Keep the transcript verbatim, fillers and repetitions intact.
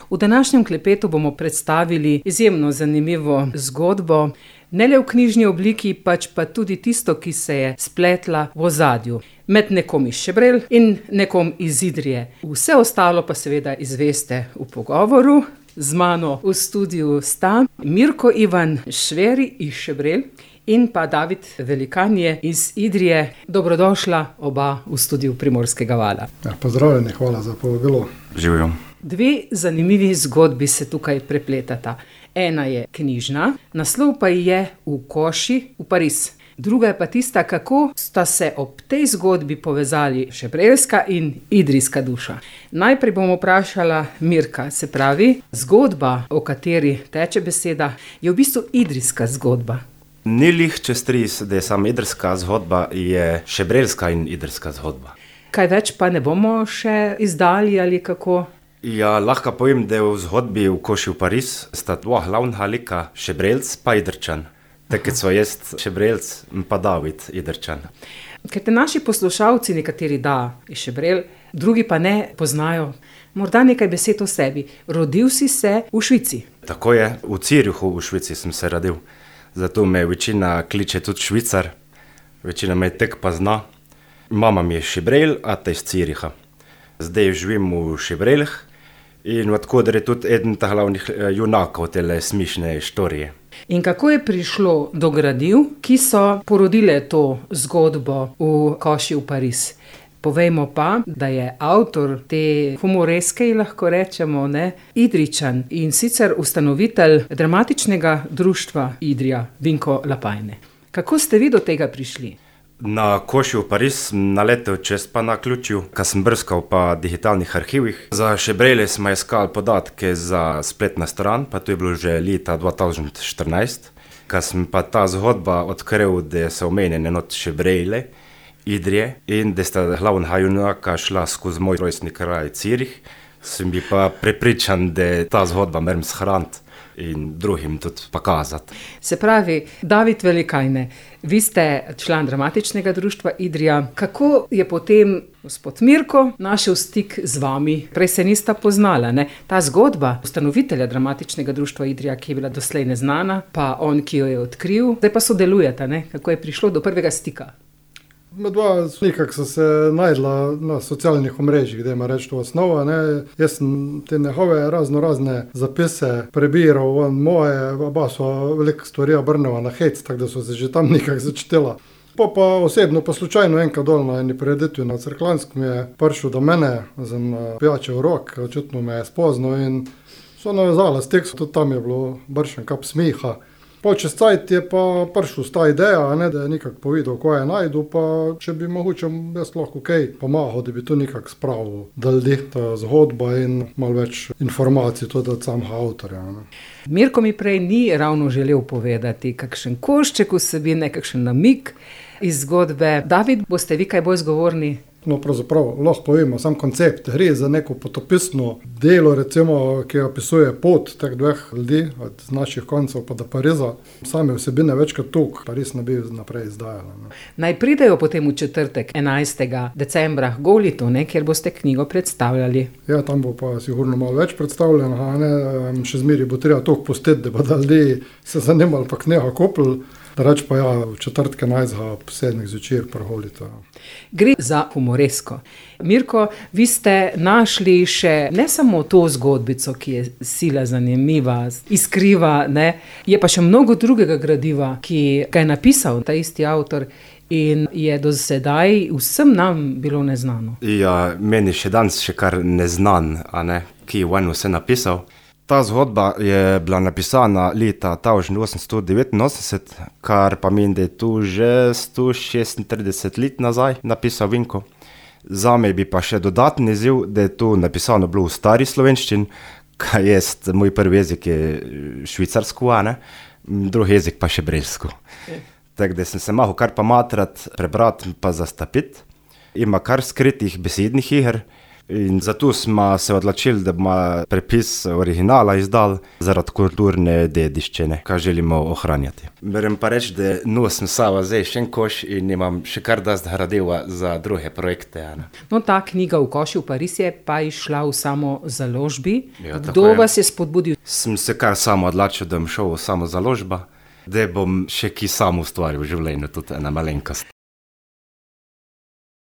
V današnjem klepetu bomo predstavili izjemno zanimivo zgodbo, ne le v knjižni obliki, pač pa tudi tisto, ki se je spletla v ozadju med nekom iz Šebrelj in nekom iz Idrije. Vse ostalo pa seveda izveste v pogovoru. Z mano v studiu sta Mirko Ivan Šveri iz Šebrelj in pa David Velikanje iz Idrije. Dobrodošla oba v studiu Primorskega vala. Ja, pozdravljeni, hvala za povabilo. Živijo. Dve zanimivi zgodbi se tukaj prepletata. Ena je knjižna, naslov pa je V koši v Pariz. Druga je pa tista, kako sta se ob tej zgodbi povezali šebreljska in idrijska duša. Najprej bom vprašala Mirka, se pravi, zgodba, o kateri teče beseda, je v bistvu idrijska zgodba. Ni lih čez tris, da je sama idrijska zgodba, je šebreljska in idrijska zgodba. Kaj več pa ne bomo še izdali ali kako? Ja, lahko povem, da v zgodbi V koši v Pariz sta dva glavna lika, Šebreljc pa Idrčan. Tako so jaz Šebreljc pa David Idrčan. Ker te naši poslušalci, nekateri da iz Šebrelj, drugi pa ne poznajo, morda nekaj besed o sebi. Rodil si se v Švici. Tako je, v Zürichu v Švici sem se rodil. Zato me večina kliče tudi Švicar. Večina me tek pa zna. Mama mi je Šebrelj, ata iz Züricha. Zdaj živim v Šebreljih in odkudar je tudi eden ta glavnih junakov tele smišne štorije. In kako je prišlo do gradiv, ki so porodile to zgodbo V koši v Pariz? Povejmo pa, da je avtor te humoreske, lahko rečemo, ne, Idrijčan in sicer ustanovitelj dramatičnega društva Idrija, Vinko Lapajne. Kako ste vi do tega prišli? Na koši v Pariz sem naletel čez pa na ključju, ko sem brskal pa digitalnih arhivih. Za Šebrelje smo iskali podatke za spletna stran, pa to je bilo že leta dva tisoč štirinajst. Ko sem pa ta zgodba odkril, da so omenjene not Šebrelje, Idrije in da sta glavna junaka šla skozi moj rojstni kraj Zürich, sem bil pa prepričan, da ta zgodba moram shraniti in drugim tudi pokazati. Se pravi, David Velikajne, vi ste član dramatičnega društva Idrija. Kako je potem gospod Mirko našel stik z vami? Prej se nista poznala, ne? Ta zgodba ustanovitelja dramatičnega društva Idrija, ki je bila doslej neznana, pa on, ki jo je odkril, zdaj pa sodelujeta, ne? Kako je prišlo do prvega stika? Dva nekako so se najdla na socialnih omrežjih, da ima reči to osnova. Ne. Jaz sem te njegove razno razne zapise prebiral, on moje, oba so veliko stvari obrneva na hec, tako da so se že tam nekako začetila. Pa pa osebno, pa slučajno enkrat dol na eni prireditvi na Cerklanskem je prišel do mene, sem pijačev rok, očitno me je spoznal in so navezala stik, tudi tam je bilo bršen kap smiha. Po čez cajt je pa prišel s ta ideja, ne, da je nekako povedal, ko je najdu, pa če bi mogoče jaz lahko kaj pomahal, da bi to nekako spravil, da ljudi ta zgodba in malo več informacij tudi od samega avtorja. Ne. Mirko mi prej ni ravno želel povedati kakšen košček vsebine, kakšen namig iz zgodbe. David, boste vi kaj bolj zgovorni? No, pravzaprav lahko povemo sam koncept. Gre za neko potopisno delo, recimo, ki opisuje pot teh dveh ljudi, od naših koncev pa do Pariza. Same vsebine večkrat tuk, Pariz ne bi naprej izdajala. Ne. Naj pridejo potem v četrtek, enajstega decembra, Golitu, ne, kjer boste knjigo predstavljali. Ja, tam bo pa sigurno malo več predstavljeno, ne, še zmeri bo treba tuk pustiti, da bo da ljudi se zanimali pa knjiga kupili. Da reč pa ja, v četrtke najzga ob sedmih zvečer prholita. Gre za humoresko. Mirko, vi ste našli še ne samo to zgodbico, ki je sila zanimiva, iskriva, ne, je pa še mnogo drugega gradiva, ki ga je napisal ta isti avtor in je do sedaj vsem nam bilo neznano. Ja, meni še danes še kar neznan, a ne, ki je on vse napisal. Ta zgodba je bila napisana leta tisoč osemsto devetinosemdeset, kar pa meni, da je tu že sto šestintrideset let nazaj napisal Vinko. Zame bi pa še dodatni izziv, da je to napisano bilo v stari slovenščini, kaj je moj prvi jezik je švicarsko, a ne, drugi jezik pa šebreljsko. Tako da sem se mahal kar pa matrati, prebrati pa zastapiti. Ima kar skritih besednih iger, In zato smo se odločili, da bomo prepis originala izdali zaradi kulturne dediščine, ki želimo ohranjati. Moram pa reči, da nosim sabo zdaj še en koš in imam še kar dosti gradiva za druge projekte. Ne. No, ta knjiga V koši v Pariz je pa išla v samo založbi. Ja, Kdo je. vas je spodbudil? Sem se kar samo odločil, da bom šel v samo založba, da bom še ki sam ustvaril v življenju, tudi ena malenkost.